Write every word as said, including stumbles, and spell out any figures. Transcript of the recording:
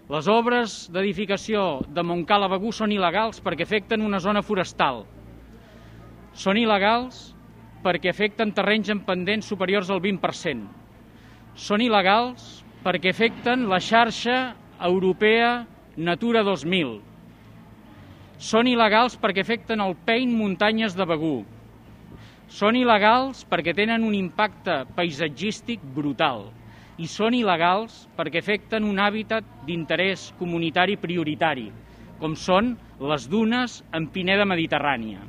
Les obres d'edificació de Montcala a Begur són il·legals perquè afecten una zona forestal. Són il·legals perquè afecten terrenys en pendents superiors al vint per cent. Són il·legals perquè afecten la xarxa europea Natura dos mil. Són il·legals perquè afecten el Pein Muntanyes de Begur. Són il·legals perquè tenen un impacte paisatgístic brutal. I són il·legals perquè afecten un hàbitat d'interès comunitari prioritari, com són les dunes en pineda mediterrània.